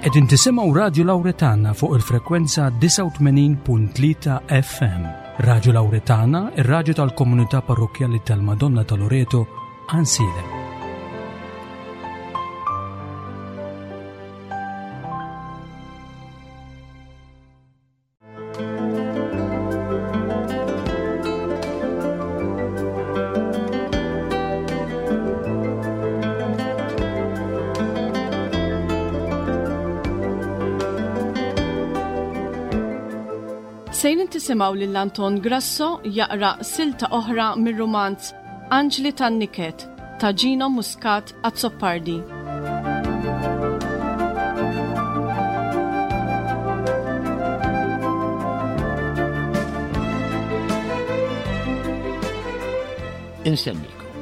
Qegħdin tisimgħu Radju Lawretana fuq il-frekwenza 89.3 FM. Radju Lawretana, ir-radju tal-komunità parrokkjali tal-Madonna ta' Loreto, Għansielem. Sejrin tisimgħu lil Anton Grasso jaqra silta oħra mir-rumanz Anġli tan-Niket ta' Gino Muscat Azzopardi. Insemmikom.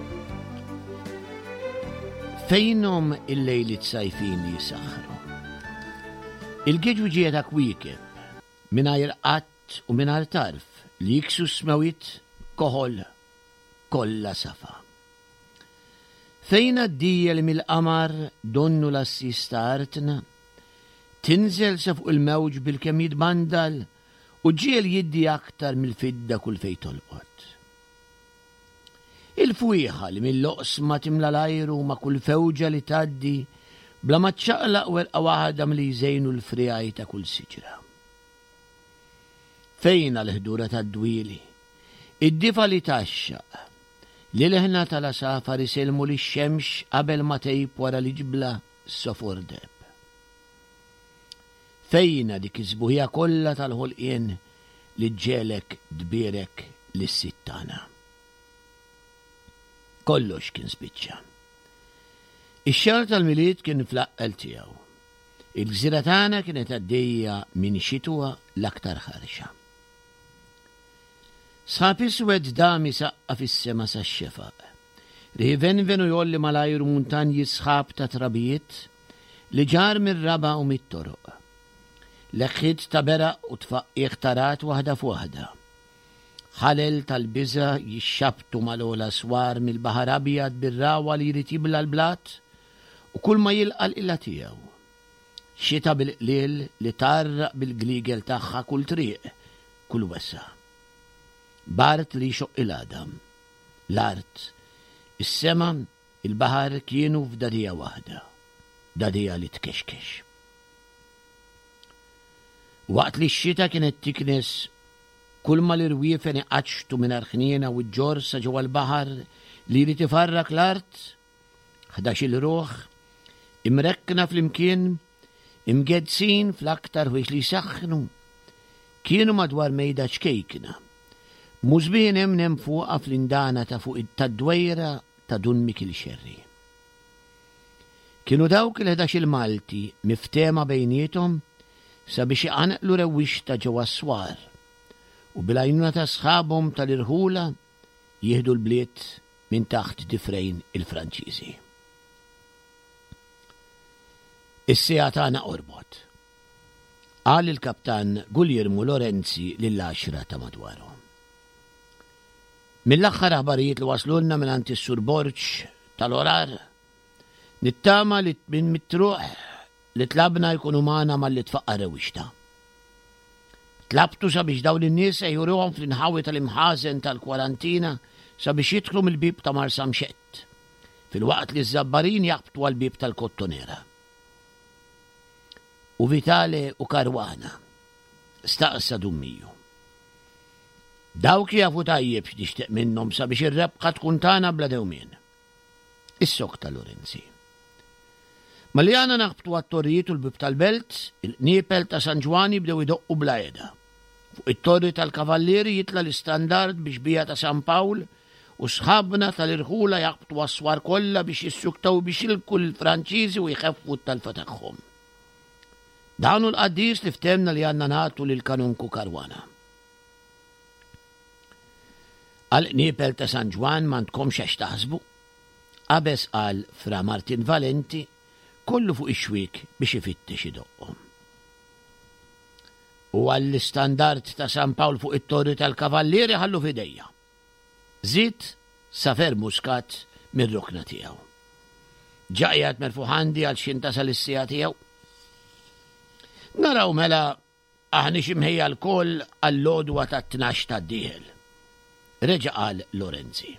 Fejnhom il-lejliet sajfin li jisaħħru? Il-giġu ta' kwiekeb mingħajr qatt u mingħajr tarf li jiksu s-smewwiet koħol kollha safa. Fejn għaddija li mill-qamar donnu l-għassies ta' artna, tinżel sa fuq il-mewġ bilkemm jitbandal u ġġiegħel jiddi aktar mill-fidda kull fejn tolqot. Il-fwieħa li mill-oqsma timla l-ajru ma' kull fewġa li tgħaddi bla ma ċċaqlaq werqa waħda milli jżejnu l-friegħi ta' kull siġra. Fejn għall-ħdura tad-dwieli, id-difa li tgħaxxaq, l-ilħna tal-għasafar isellmu lix-xemx qabel ma tgħib wara l-iġbla sofor deheb. Fejnha dik is-sbuħija kollha tal-ħolqien li ġġegħlek tbierek lis-Sid tagħna? Kollox kien spiċċa. Ix-xahar tal-Milied kien fl-aqqel tiegħu. Il-gżira tagħna kienet għaddejja minn xitwa l-aktar ħarxa. Sħab iswed dam isaqqa' fis-sema sax-xefaq. Riħ ivenven u jgħolli mal-ajru muntanji sħab ta' trabijiet li ġarr mir-raba' u mit-toroq. Leħħiet ta' beraq u tfaqqiegħ ta' ragħad waħda f'waħda. Ħalel tal-biża' jixxabbtu mal-ogħla swar mill-baħar abjad bir-ragħwa li jrid jibla' l-blat u kulma jilqa' l-qilla tiegħu. Xita bil-qliel li tgħarraq bil-gliegel tagħha kull triq, kull wesgħa. B'art li jxoqq il-għadam. L-art, is-sema, il-baħar kienu f'dagħdigħa waħda, dagħdigħa li tkexkex. Waqt li x-xita kienet tiknes kulma l-irwiefen iqaċċtu mingħajr ħniena u ġġorr sa ġewwa l-baħar li jrid ifarrak l-art, 11-il ruħ, imrekkna flimkien, imgeddsin fl-aktar ħwejġ li jsaħħnu, kienu madwar mejda ċkejkna, b'musbien hemm fuqha fl-indana ta' fuq tad-dwejra ta' Dun Mikiel Xerri. Kienu dawk il-ħdax-il Malti miftehma bejniethom sabiex iqanqlu rewwixta ġewwa s-swar u bil-għajnuna ta' sħabhom tal-irħula jieħdu l-bliet minn taħt difrejn il-Franċiżi. Is-siegħa tagħna qorbot, qal il-Kaptan Guglielmo Lorenzi lill-għaxra ta' madwaru. Mill-aħħar aħbarijiet li waslulna mingħand is-Sur Borg tal-Orar, nittama li minn mitruħ li tlabna jkunu magħna malli tfaqqa' rewwixta. Tlabtu sabiex dawn in-nies se juruhom fl-inħawi tal-imħażen tal-kwarantina sabiex jidħlu mill-bieb ta' Marsamxett, filwaqt li ż-Żabbarin jaħbtu għall-bieb tal-Kottonera. U Vitale u Caruana? staqsa Dun Miju. Dawk jafu tajjeb x'nixtieq minnhom sabiex ir-rebħa tkun tagħna bla dewmien. Issokta Lorenzi. Malli għana naħbtu għat-torrijiet u l-bieb tal-belt, il-qniepel ta' San Ġwann jibdew idoqqu bla heda. Fuq it-torri tal-Kavallieri jitla' l-istandard bi xbieha ta' San Pawl u sħabna tal-irħula jaħbtu għas-swar kollha biex jissuktaw biex jilbku lill-Franċiżi u jħeffu t-talfa tagħhom. Dan hu l-qaddis li ftehmna li għandna nagħtu lill-Kanonku Caruana. Għall-qniepel ta' San Ġwann m'għandkomx għax taħsbu. Qabeż qal Fra Martin Valenti, kollu fuq ix-xwiek biex ifittex idoqqhom. U għall-istandard ta' San Pawl fuq it-Torri tal-Kavallieri ħallu f'idejja. Żied Safer Muscat mir-rokna tiegħu. Ġa qiegħed merfugħ għandi għal x'ħin tasal is-siegħa tiegħu. Naraw mela aħniex imħejja lkoll għall-għodwa tat-tnax tad-dieħel. Reġa' qal Lorenzi.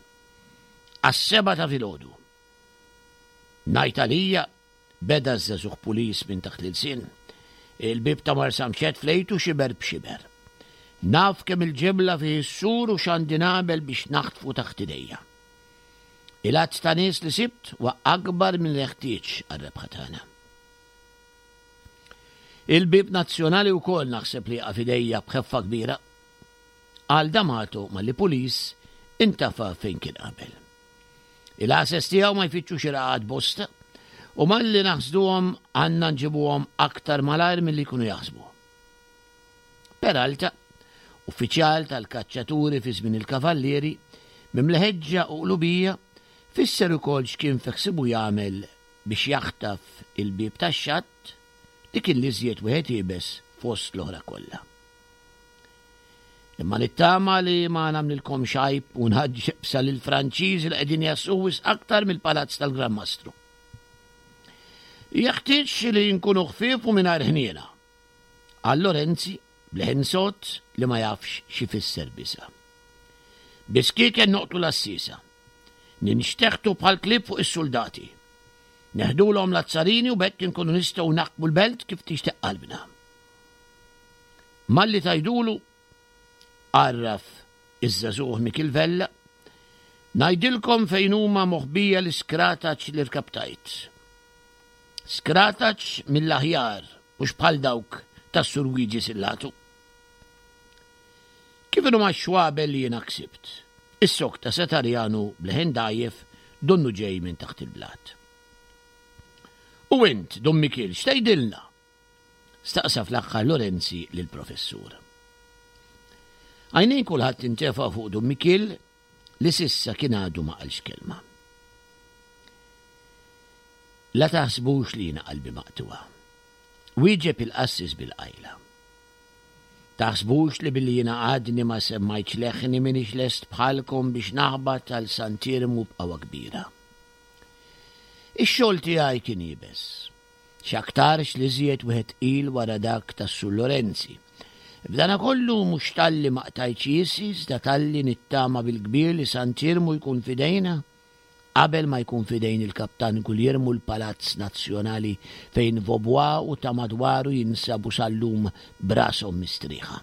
Għas-sebgħa ta' filgħodu. Ngħid għalija, beda ż-żagħżugħ pulis minn taħt l-ilsien. Il-bieb ta' Marsamxett flejtu xiber b'xiber. Naf kemm il-ġebla fih is-sur u x'għandi nagħmel biex naħtfu taħt idejja. Il-għadd ta' nies li sibt huwa akbar minn li jeħtieġ għar-rebħa tagħna. Il-bieb nazzjonali wkoll naħseb li jaqa' f'idejja b'ħeffa kbira. Qal D'Amato malli Pulis intafa' fejn kien qabel. Il-għases tiegħu ma jfittxux irqaqat bosta u malli naħsduhom għandna nġibuhom aktar malajr milli jkunu jaħsbu. Peralta, uffiċjal tal-kaċċaturi fi żmien il-Kavallieri, mimli ħeġġa u qlubija, fisser ukoll x'kien fi ħsiebu jagħmel biex jaħtaf il-bieb tax-xatt li kien l-iżjed wieħed iebes fost l-oħra kollha. Imma nittama li ma nagħmlilkomx għajb u nħaġġeb sa lill-Franċiżi li qegħdin jassu wisq aktar mill-palazz tal-Gran Mastru. Jeħtieġ li nkunu ħfief u mingħajr ħniena. Qal Lorenzi b'leħen sod li ma jafx x'ifisser biża'. Biskieken noqtlu l-għassiesa. Ninxteħtu bħal klieb fuq is-suldati. Neħdulhom l-azzarini u b'hekk inkunu nistgħu naħkmu l-belt kif tixtieq qalbna. Malli tgħidulu, għarraf iż-żagħżugħ Mikiel Vella, ngħidilkom fejn huma moħbija l-iskrataċ li rkaptajt. Skrataċ mill-aħjar, mhux bħal dawk tas-Sur Wiġi Sillatu. Kif inhuma x-xwabel li jiena ksibt? Issokta Satarjanu b'leħen dgħajjef donnu ġej minn taħt il-blat. U int, Dun Mikiel, x'tgħidilna? Staqsa fl-aħħar Lorenzi lill-Professur. Għajnejn kulħadd intefgħu fuq Dun Mikiel li s'issa kien għadu ma qalx kelma. La taħsbux li jiena qalbi maqtugħa. Wieġeb il-qassis bil-qajla. Taħsbux li billi jiena għadni ma semmajtx leħni m'iniex lest bħalkom biex naħbat għal Sant'Iermu b'qawwa kbira. Ix-xogħol tiegħi kien iebes. X'aktarx l-iżjed wieħed tqil wara dak tas-Sur Lorenzi. B'danakollu mhux talli ma qtajtx jiesi iżda talli nittama bil-kbir li Sant'Iermu jkun f'idejna qabel ma jkun f'idejn il-Kaptan Gugliermu l-Palazz Nazzjonali fejn Vaubois u ta' madwaru jinsabu sal-lum b'rashom mistrieħa.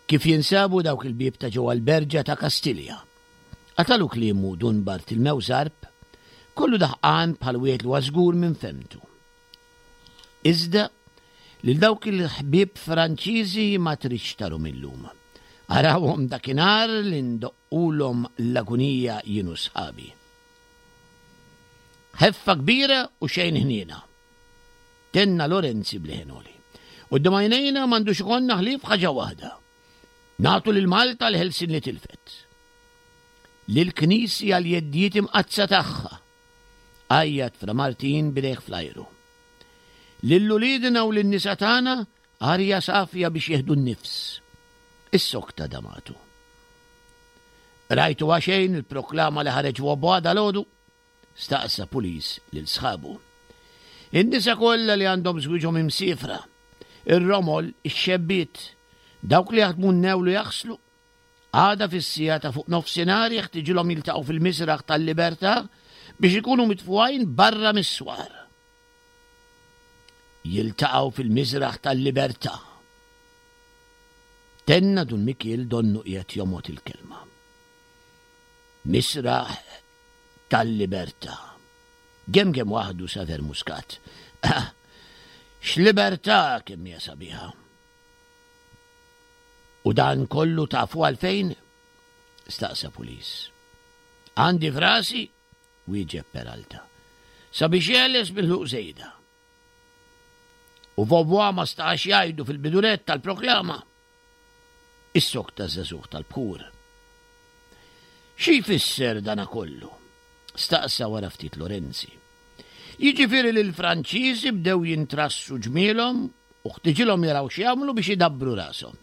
Kif jinsabu dawk il-bieb ta' ġewwa l-Berġa ta' Kastilja? Qatalu kliemu Dun Bartilmew Zarb, kollu daħqan bħal wieħed li huwa żgur minn fehmtu. Iżda, lil dawk il-ħbieb Franċiżi ma tridx tarhom illum. Arawhom dakinhar li ndoqqulhom l-agunija jien u sħabi. Ħeffa kbira u xejn ħniena. Tenna Lorenzi b'leħen għoli. Quddiem għajnejna m'għandux ikollna ħlief ħaġa waħda. Nagħtu lil Malta l-ħelsien li tilfet. Lill-Knisja l-jeddijiet imqaddsa tagħha. Għajjat Fra Martin b'idejh fl-ajru. Lil uliedna u lin-nisa tagħna arja safja biex jieħdu n-nifs. Issokta Damatu. Rajtu għaxejn il-proklama li ħareġ Vaubois dalgħodu? Staqsa Pulis lil sħabu. In-nisa kollha li għandhom żwieġhom imsiefra, ir-romol, ix-xebbiet, dawk li jaħdmu n-newl u jaħslu, għada fis-siegħa ta' fuq nofsinhar jeħtiġilhom jiltaqgħu fil-Misraħ tal-Libertà biex ikunu mitfugħin barra mis-swar. Jiltaqgħu fil-Misraħ tal-Libertà. Tenna Dun Mikiel donnu qiegħed jomgħod il-kelma. Misraħ tal-libertà. Gemgem waħdu Saver Muscat. Ah, x'libertà kemm hija sabiħa. U dan kollu tafu għalfejn? Staqsa Pulis. Għandi frasi, wieġeb Peralta. Sabiex jeħles mill-ħluq żejda. U Vaubois ma stax jgħidu fil-bidunet tal-proklama. Issokta ż-żagħżugħ tal-bħur. Xi jfisser dana kollu? staqsa wara ftit Lorenzi. Jiġifieri li l-Franċiżi bdew jintrassu ġmielhom u ħtiġilhom jaraw x'jagħmlu biex idabbru rashom.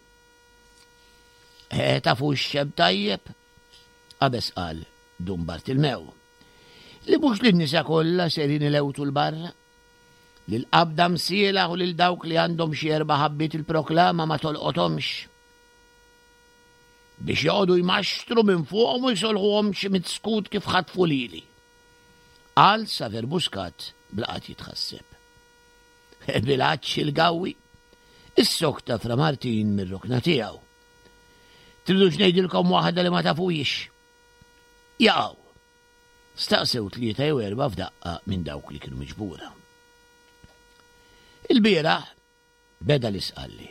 Eh, tafu x-xeb tajjeb? Qabeż qal Dun Bartilmew. Li mhux lin-nisa kollha serin ilewtu 'l barra. Lill-qabda msielaħ u lil dawk li għandhom xi erba' ħabbiet il-proklama ma tolqothomx. Biex joqogħdu jmaxtru minn fuqhom u jsolħuhom xi mitt skut kif ħatfu lili. Qal Saver Muscat bla qatt jitħasseb. Bil-għatx il-gawwi, issokta Fra Martin mir-rokna tiegħu. Tridux ngħidilkom waħda li ma tafuhiex? Jaqgħu. Staqsew tlieta jew erbgħa f'daqqa minn dawk li kienu miġbura. Il-bieraħ beda l-isqalli.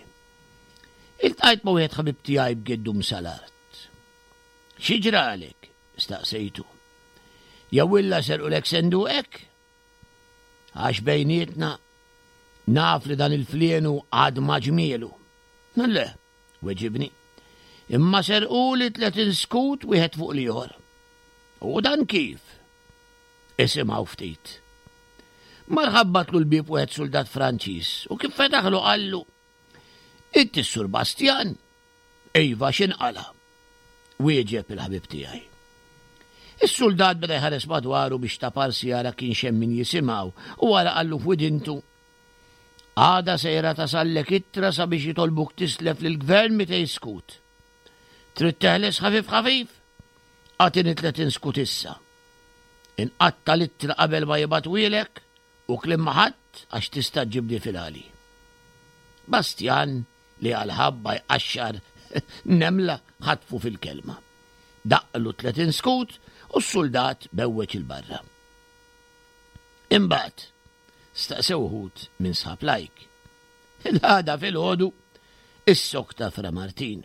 Iltqajt ma' wieħed ħabib tiegħi b'geddum sal-art. Xi ġralek? staqsejtu. Jew illa serqulek senduqek? Għax bejnietna naf li dan il-flienu għad ma ġmielu. Le, weġibni. Imma serquli 30 skut wieħed fuq l-ieħor. U dan kif? Isimgħu ftit. Mar ħabbatlu l-bieb wieħed suldat Franċiż u kif fetaħlu qallu, Inti s-Sur Bastjan? Iva, x'inqala'? Wieġeb il-ħabib tiegħi. Is-suldat beda jħares madwaru biex taparsi jara kienx hemm min jisimgħu u wara qallu f'widintu, Għada sejra tasallek ittra sabiex jitolbuk tislef lill-gvern 200 skut. Trid teħles ħafif ħafif? Agħtini 30 skut issa. Inqatta' l-ittra qabel ma jibgħatwielek u kliem ma' ħadd għax tista' ġġibni fil-għali. Bastjan li għal ħabba jqaxxar nemla ħatfu fil-kelma. Daqqlu 30 skut u s-suldat bewweġ 'il barra. Imbagħad, staqsew uħud minn sħab Lajk. L-għada filgħodu, issokta Fra Martin.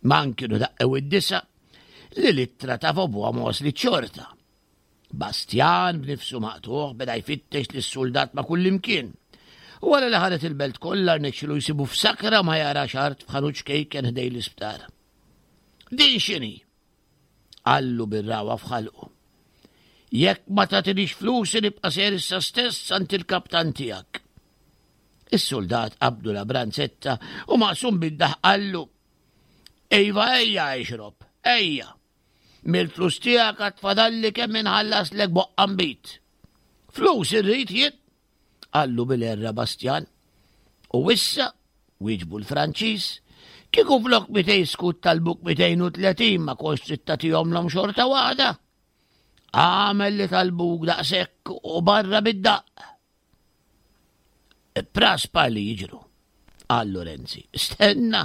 Man kienu daqqew id-disa li l-ittra ta' Vaubois ma waslit xorta. Bastjan b'nifsu maqtugħ beda jfittex lis-suldat ma' kullimkien. U wara li ħaret il-belt kollha rnexxilu jsibu f'sakra ma jarax art f'ħanut ċkejken ħdejn l-isptar. Din x'inhi? Qallu bir-ragħwa f'ħalqu. Jekk ma tagħtinix flusi nibqa' sejjer issa stess għand il-kaptan tiegħek. Is-suldat qabdu la branzetta u maqsum bid-daħq qallu, Iva ejja ixrob, ejja. Mill-flus tiegħek għad fadalli kemm inħallaslek boqqa nbid. Flus irrid jien, qallu bil-erra Bastjan. U issa, wieġbu l-Franċiż, kieku flok 200 skut talbuk 230 ma kontx trid tagħtihomlhom xorta waħda. Għamel li talbuk daqshekk u barra bid-daqq. Praspa li jiġru, qal Lorenzi. Stenna,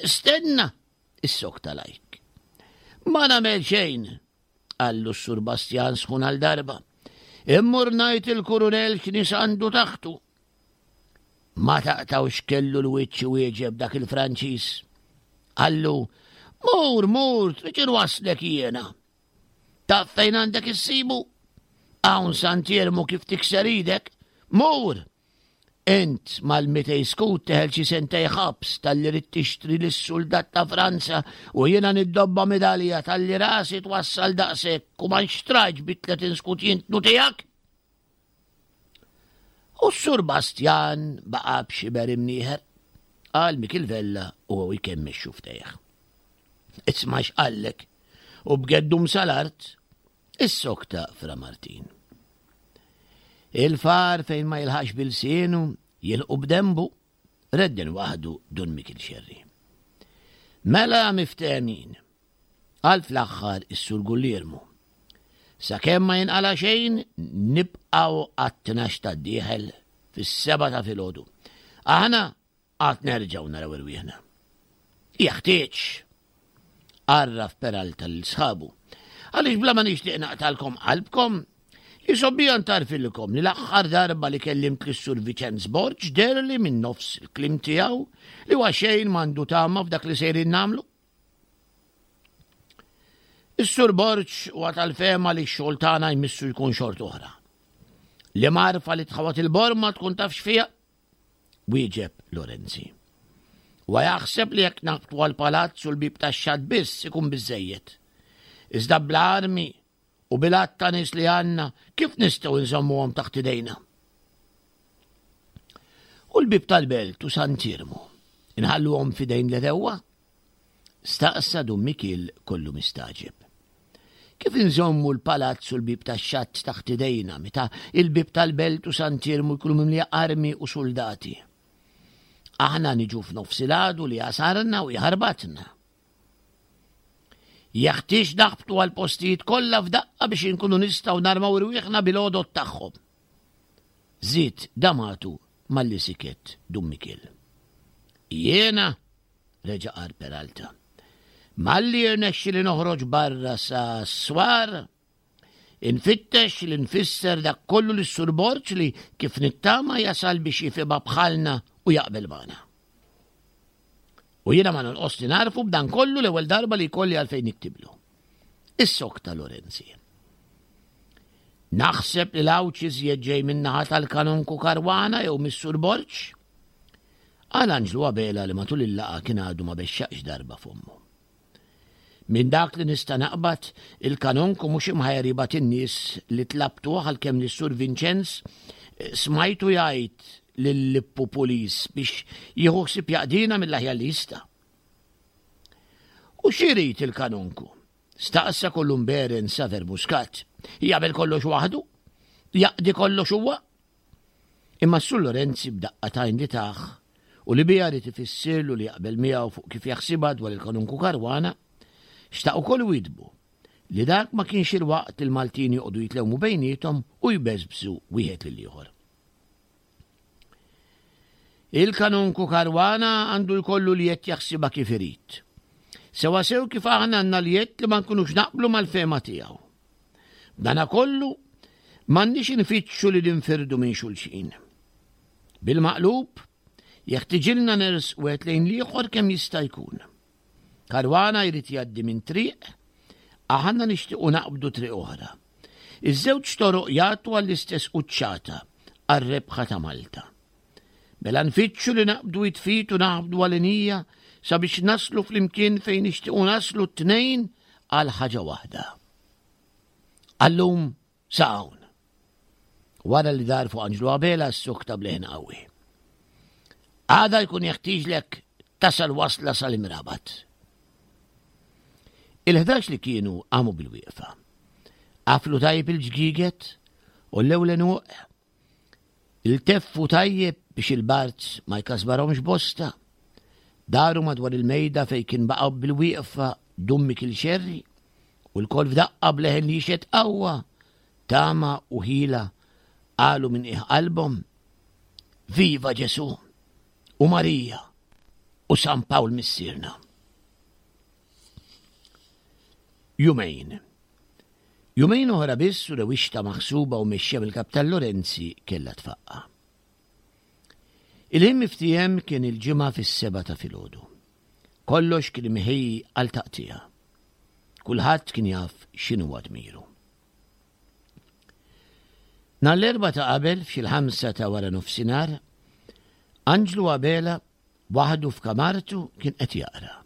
stenna, issokta Lajk. Ma nagħmel xejn, qallu s-Sur Bastjan sħun għal darba. Immur ngħid il-kurunell x'nies għandu taħtu. Ma taqtawx kellu l-wiċċ wieġeb dak il-Franċiż. Qallu, mur, mur, trid inwaslek jiena. Taf fejn għandek issibu? Hawn Sant'Iermu kif tikser idek? Mur! Int mal-mitej skut teħel xi sentej ħabs talli rid tixtri lis-suldat ta' Franza u jiena niddobba midalja talli rasi twassal daqshekk u ma nxtrajtx bi 30 skut jintnu tiegħek? U s-Sur Bastjan baqa' b'xiber imnieħer, qal Mikil Vella u hu jkemmex xuftejh. Isma' x'qallek u b'geddum sal-art issokta Fra Martin. Il-far fejn ma jilħaqx bilsienu jilqu b'dembu, redden waħdu Dun Mikil Xerri. Mela miftehmin, qal fl-aħħar is-Sur Gulliermu. Sakemm ma jinqala xejn, nibqgħu għat-tnax tad-dieħel fis-sebgħa ta' filgħodu. Aħna għad nerġgħu naraw irwieħna. Jeħtieġ, għarraf Peralta lil sħabu, għaliex bla ma nixtieq naqtalkom qalbkom, jisobbija ntarfilkom li l-aħħar darba li kellimt lis-Sur Viċenz Borg deherli minn nofs il-kliem tiegħu li huwa xejn m'għandu tama f'dak li sejrin nagħmlu. Is-Sur Borg huwa tal-fehma li x-xogħol tagħna jmissu jkun xort oħra. Li marfa li tħawat il-borma tkun taf x'fiha? Wieġeb Lorenzi. Huwa jaħseb li jekk naqbtu għall-palazz u l-bieb tax-xatt biss ikun biżżejjed. Iżda bla armi u bil-għadd ta' nies li għandna kif nistgħu nżommuhom taħt idejna? U l-bieb tal-belt u Sant'Iermu inħalluhom f'idejn l-għedewwa? Staqsa Dun Mikiel kollu mistagħġeb. Kif inżommu l-palazz u l-bieb tax-xatt taħt idejna meta il-bieb tal-belt u Sant'Iermu jkunu mimlija armi u suldati? Aħna niġu f'nofs il-għadu li jasarna u jħarbatna. Jeħtieġ naħbtu għall-postijiet kollha f'daqqa biex inkunu nistgħu narmaw irwieħna bil-għodod tagħhom. Żied Damatu malli siket Dun Mikiel. Jiena, reġa' qal Peralta, malli jirnexxili noħroġ barra sa s-swar, infittex li nfisser dak kollu lis-Sur Borg li kif nittama jasal biex jifhimha bħalna u jaqbel magħna. U jiena ma nonqos li narfu b'dan kollu l-ewwel darba li jkolli għalfejn niktiblu. Is-sokta Lorenzi. Naħseb li l-għawċ iżjed ġej min-naħa tal-Kanonku Karwana jew mis-Sur Borg. Qal Anġlu Abela li matul il-laqgħa kien għadu ma bexxaqx darba fommu. Minn dak li nista' naqbad, il-Kanonku mhux imħajjar jibgħat in-nies li tlabtuh għalkemm lis-Sur Vinċenz eh, smajtu jgħid lil Lippu Pulis biex jieħu ħsieb jaqdina mill-aħjar li jista'. U x'irid il-Kanonku? Staqsa kollu mberen Saver Muscat. Jagħmel kollox waħdu? Jaqdi kollox huwa? Imma s-Sur Lorenzi b'daqqa t'għajn li tah u li biha ried ifissirlu li jaqbel miegħu fuq kif jaħsibha dwar il-Kanunku Caruana, xtaq ukoll iwiddbu li dak ma kienx il-waqt li l-Maltin joqogħdu jitlewmu bejniethom u jbeżbżu wieħed lill-ieħor. Il-Kanunku Caruana għandu jkollu l-jedd jaħsibha kif irid. Sewwasew kif aħna għandna l-jedd li ma nkunux naqblu mal-fehma tiegħu. B'danakollu, m'għandniex infittxu li ninfirdu minn xulxin. Bil-maqlub, jeħtiġilna nersqu wieħed lejn l-ieħor kemm jista' jkun. Karwana jrid jgħaddi minn triq, aħna nixtiequ naqbdu triq oħra. Iż-żewġ toroq jagħtu għall-istess quċċata, għar-rebħa ta' Malta. Mela nfittxu li naqbdu id f'id u naħbdu għalinija sabiex naslu flimkien fejn nixtiequ naslu t-tnejn għal ħaġa waħda. Għallum sa hawn. Wara li dar fuq Anġlu Abela s-sukta bleħen qawwi. Għada jkun jeħtieġlek tasal wasla sal-imrabat. Il-11 li kienu qamu bil-wieqfa. Qaflu tajjeb il-ġgiget u l-ewlen Ilteffu tajjeb biex il-bard ma jkasbarhomx bosta. Daru madwar il-mejda fejn kien baqgħu bil-wieqfa Dun Mikiel Xerri u lkoll f'daqqa b'leħen li jixhed qawwa, tama u ħila qalu minn qiegħ qalbhom, Viva Ġesù u Marija u San Pawl Missierna. Jumejn. Jumejn oħra biss u rewixta maħsuba u mexxija mill-Kaptan Lorenzi kellha tfaqqa'. Il-ħin miftiehem kien il-Ġimgħa fis-sebgħa ta' filgħodu. Kollox kien imħejji għal taqtigħa. Kulħadd kien jaf x'inhuwa dmiru. Nhar l-Erbgħa ta' qabel f'xi l-ħamsa ta' wara nofsinhar, Anġlu Abela waħdu f'kamartu kien qed jaqra.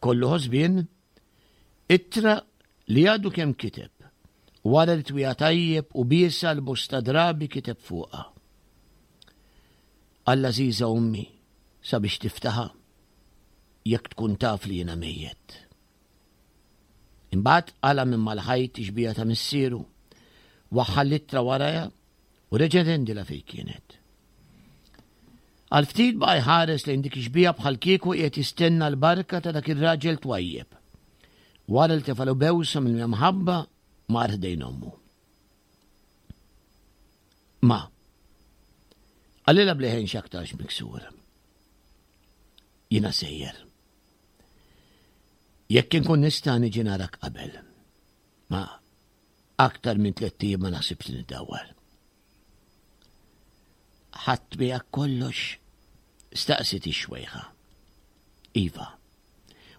Kollu ħosbien Ittra li għadu kemm kiteb, wara li twieha tajjeb u biesha l-bosta drabi kiteb fuqha. Għall-għażiża ommi sabiex tiftaħha jekk tkun taf li jiena mejjet. Imbagħad qala' minn mal-ħajt ix-xbieha ta' missieru, waħħal l-ittra warajha u reġa' rendilha fejn kienet. Għal ftit baqa' jħares lejn dik ix-xbieha bħalkieku qiegħed jistenna l-barka ta' dak ir-raġel twajjeb. Wara li tefalu bewsa mimlija mħabba, mar ħdejn ommu. Ma. Qalilha b'leħen x'aktarx miksur. Jiena sejjer. Jekk inkun nista' niġi narak qabel. Ma aktar minn tlett ijiem ma naħsibx li niddawwar. Ħadt miegħek kollox? Staqsiet ix-xwejħa. Iva.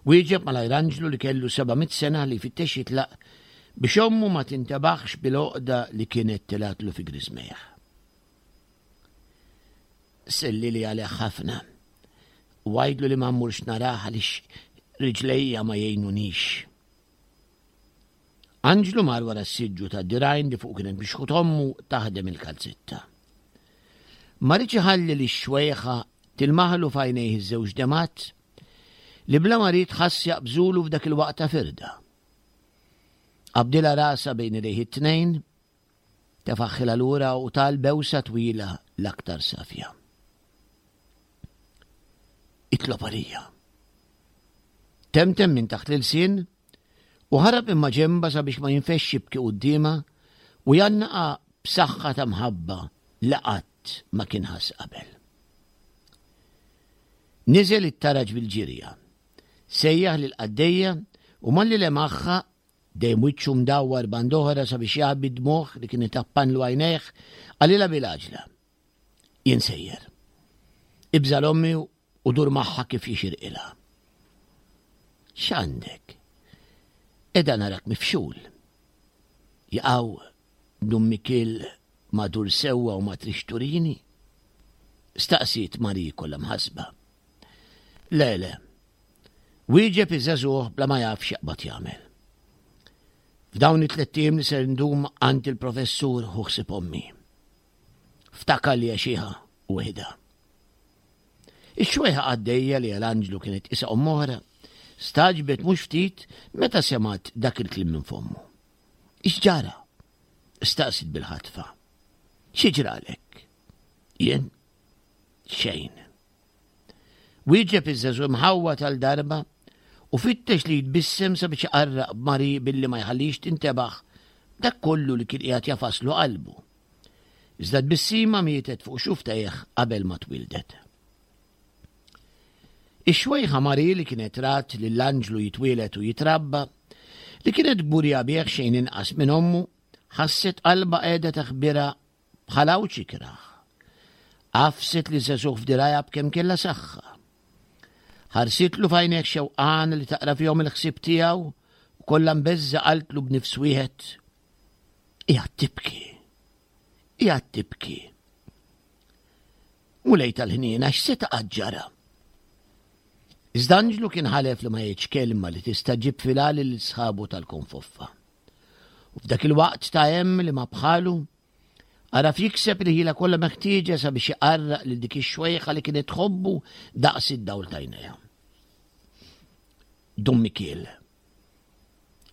Wieġeb malajr Anġlu li kellu 700 sena li jfittex jitlaq biex ommu ma tintebaħx bil-għoqda li kienet tilgħatlu fi griżmejh. Sellili għalih ħafna u għidlu li ma mmurx narah għaliex riġlejja ma jgħinunix. Anġlu mar wara s-siġġu tad-dirgħajn li fuq kienet mixħut ommu taħdem il-kalzetta. Ma riedx iħalli lix-xwejħa tilmaħlu f'għajnejh iż-żewġ demgħat li bla ma ried ħass jaqbżulu f'dak il-waqt ta' firda. Qabdilha rasha bejn idejh it-tnejn, tefaħħilha lura u ta l-bewsa twila l-aktar safja. Itlob għalija. Temtem minn taħt l-ilsien u ħarab imma ġemba sabiex ma jinfexx jibki quddiemha u jgħannaqa b'saħħa ta' mħabba li qatt ma kien ħass qabel. Niżel it-taraġ bil-ġirja. Sejjaħ lill-qaddejja u malli lemaħha, dejjem wiċċu mdawwar band'oħra sabiex jaħbi d-dmugħ li kien itappanlu għajnejh, qalilha bil-għaġla, Jien sejjer. Ibża' 'l ommi u dur magħha kif jixirqilha. X'għandek? Qiegħda narak mifxul. Jaqaw Dun Mikiel ma dur sewwa u ma trix turini? Staqsiet Marie kollha mħassba. Le, le. Wieġeb iż-żagħżugħ bla ma jaf x'jaqbad jagħmel. F'dawn it-tlett ijiem li ser ndum għand il-professur ħu ħsieb ommi. Ftakar li għexiha u weħidha. Ix-xwejħa qaddejja li għal Anġlu kienet isa omm oħra, stagħġbet mhux ftit meta semgħet dak il-kliem minn fommu. X'ġara? Staqsiet bil-ħatfa. Xi ġralek? Jien? Xejn. Wieġeb iż-żagħżugħ imħawwad għal darba u fittex li jitbissem sabiex iqarraq b'Mari billi ma jħallix tintebaħ dak kollu li kien qiegħed jafaslu qalbu. Iżda tbissima mietet fuq xuftajh qabel ma twildet. Ix-xwejħa Mari li kienet rat lill-anġlu jitwieled u jitrabba, li kienet kburija bih xejn inqas minn ommu, ħasset qalbha qiegħda taħbirha bħal għawġ ikrah. Għafset li żagħżugħ f'dirgħajha b'kemm kellha saħħa. Ħarsitlu f'għajnejh xewqan li taqra fihom il-ħsieb tiegħu u kollha mbeżża' qaltlu b'nifs wieħed, Qiegħed tibki. Qiegħed tibki. Mulej tal-ħniena x'seta' qatt ġara? Iżda Anġlu kien ħalef li ma jgħidx kelma li tista' ġib fil-għali lil sħabu tal-konfoffa. U f'dak il-waqt ta' hemm li ma bħalu, għaraf jikseb il-ħila kollha meħtieġa sabiex iqarraq lil dik ix-xwejħa li kienet tħobbu daqs id-dawl t'għajnejha. Dun Mikiel.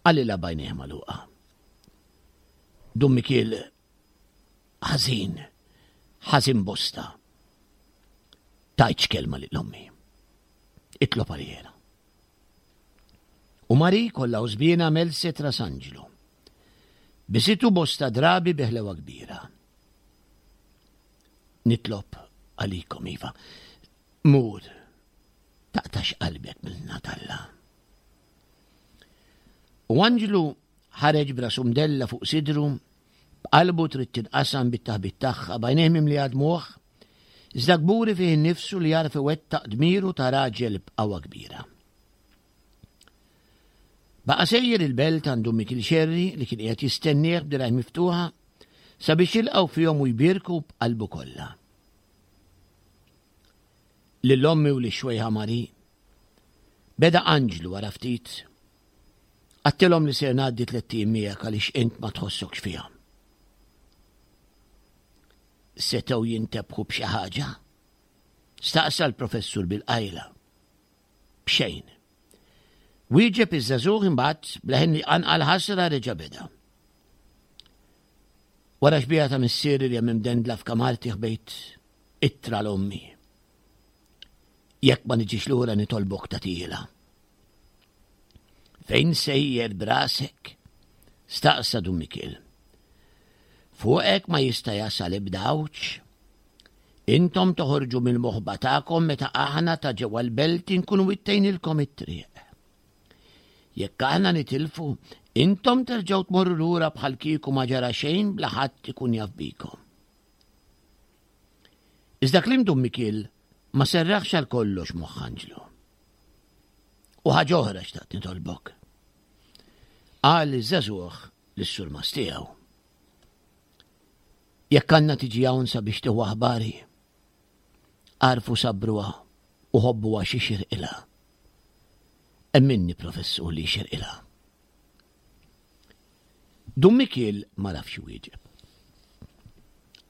Qalilha b'għajnejh magħluqa. Dun Mikiel ħażin, ħażin bosta. Tajtx kelma lil ommi. Itlob għalijena. U Mari kollha użbiena melset ras Anġlu. Bisitu bosta drabi bi ħlewa kbira. Nitlob għalikom iva. Mur, taqtax qalbek mill-Natalla. U Anġlu ħareġ b'rasu mdella fuq sidru, b'qalbu trid tinqasam bit-taħbit tagħha, b'għajnejh mimlija dmugħ, iżda kburi fih innifsu li jagħraf iwettaq dmiru ta' raġel b'qawwa kbira. Baqa' sejjer il-belt għand Dun Mikiel Xerri li kien qiegħed jistennieh b'dirgħajh miftuħa sabiex jilqgħu fihom u jbierku b'qalbu kollha. Lil ommi u lix-xwejħa Mari. Beda Anġlu wara ftit. Għattilhom li ser ngħaddi tlett ijiem miegħek għaliex int ma tħossokx fiha. Setgħu jintebħu b'xi ħaġa? Staqsa l-professur bil-qajla. B'xejn. Wieġeb iż-żagħżugħ imbagħad b'leħen li qanqal ħasra reġa' beda. Wara xbieha ta' missieri li hemm imdendla f'kamarti ħbejt ittra 'l ommi. Jekk ma niġix lura nitolbok tagħtihielha. Fejn sejjer b'rasek? Staqsa Dun Mikiel. Fuqek ma jista' jasal ebda għawġ. Intom toħorġu mill-moħba tagħkom meta aħna ta' ġewwa l-belt inkunu wittejnilkom it-triq. Jekk aħna nitilfu, intom terġgħu tmorru lura bħal kieku ma ġara xejn bla ħadd ikun jaf bikom. Iżda kliem Dun Mikiel ma serraħx għal kollox moħħ Anġlu. U ħaġa oħra xtaqt nitolbok. Qal iż-żagħżugħ lis-surmast tiegħu. Jekk għandna tiġi hawn sabiex tieħu aħbari, għarfu sabruha u ħobbuha xi xirqilha. Emminni professur li xirqilha. Dun Mikiel ma rafx iwieġeb.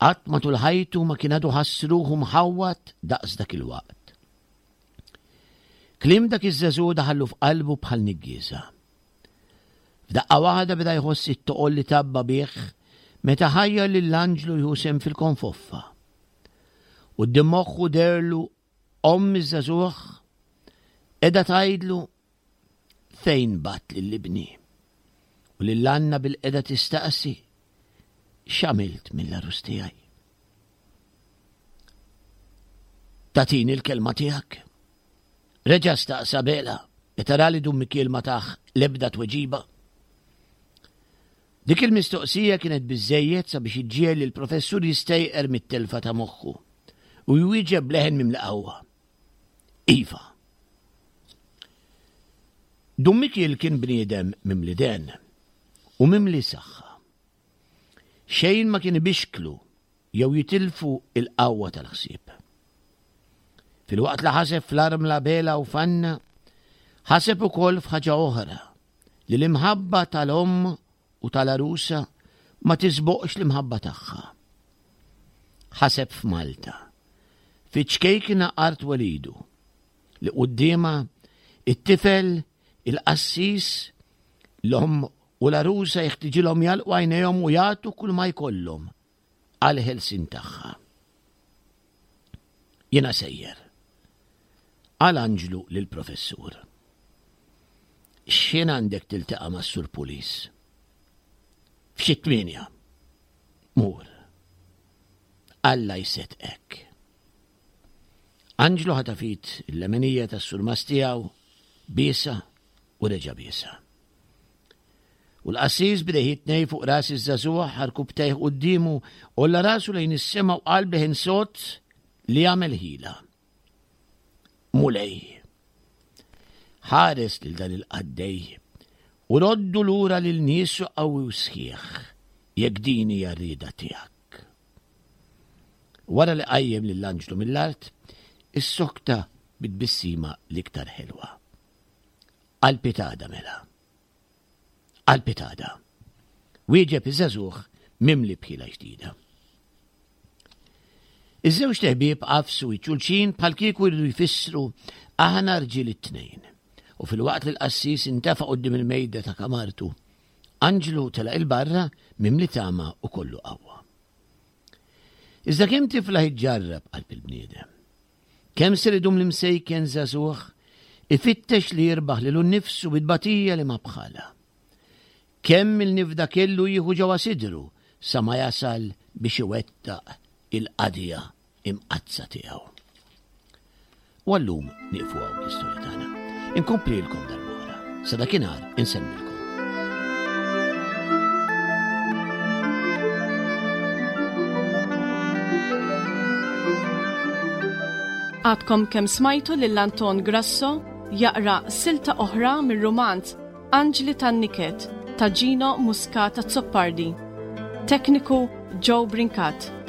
Qatt matul ħajtu ma kien għadu ħass ruħu mħawwad daqs dak il-waqt. Kliem dak iż-żagħżugħ daħallu f'qalbu bħal niggieża. F'daqqa waħda beda jħoss it-toqol li tabba bih meta ħajjar lil Anġlu jieħu sehem fil-konfoffa. Quddiem moħħu deherlu omm iż-żagħżugħ qiegħda tgħidlu fejn bgħatt lil ibni u lil Anna bil-qiegħda tistaqsi x'għamilt mill-għarus tiegħi. Tagħtini l-kelma tiegħek? Reġa' staqsa Bela meta ra li Dun Mikiel ma tah l-ebda tweġiba. Dik il-mistoqsija kienet biżżejjed sabiex iġġiegħel lill-professur jistejqer mit-telfa ta' moħħu u jwieġeb b'leħen mimli qawwa. Iva. Dun Mikiel kien bniedem mimli den u mimli saħħa. Xejn ma kien ibixklu jew jitilfu l-qawwa tal-ħsieb. Filwaqt li ħaseb fl-armla Bela u f'Anna, ħaseb ukoll f'ħaġa oħra, li l-imħabba tal-omm u tal-għarusa ma tisboqx l-imħabba tagħha. Ħaseb f'Malta, fiċ-ċkejkna art welidu, li quddiemha it-tifel, il-qassis, l-omm u l-għarusa jeħtiġilhom jagħlqu għajnejhom u jagħtu kull ma jkollhom għall-ħelsien tagħha. Jiena sejjer. Qal Anġlu lill-professur. X'ħin għandek tiltaqa' mas-Sur Pulis? F'xi tmienja. Mur. Alla jseddqek. Anġlu ħataf id il-leminija tas-surmast tiegħu, biesha u reġa' biesha. U l-qassis b'idejh it-tnejn fuq ras iż-żagħżugħ ħarkubtejh quddiemu, għolla rasu lejn is-sema u qal b'leħen sod li għamel ħila. Mulej, ħares lil dan il-qaddej u roddu lura lil niesu qawwi u sħiħ, jekk din hija r-rieda tiegħek. Wara li qajjem lil anġlu mill-art, issokta bit-tbissima l-iktar ħelwa. Għall-pitada mela. Għall-pitada. Wieġeb iż-żagħżugħ mimli b'ħila ġdida. Iż-żewġt eħbieb għafsu iċ-xulxin bħal kieku jridu jfissru aħna rġiel it-tnejn. U filwaqt li l-qassis intefa' quddiem il-mejda ta' kamartu, Anġlu telaq il-barra mimli tama u kollu qawwa. Iżda kemm tiflaħ iġġarrab qalb il-bniedem? Kemm ser idum l-imsejken żagħżugħ ifittex li jirbaħ lilu nnifsu bi tbatija li ma bħalha? Kemm il-nifda kellu jieħu ġewwa sidru sa ma jasal biex iwettaq il-qadija imqaddsa tiegħu? U għallum nieqfu hawn l-istorja tagħna. Inkomplilkom darb'oħra. Sa dakinhar insellmilkom. Għadkom kemm smajtu lil Anton Grasso jaqra silta oħra mir-rumanz Anġli tan-Niket ta' Gino Muscat Azzopardi. Tekniku Joe Brincat.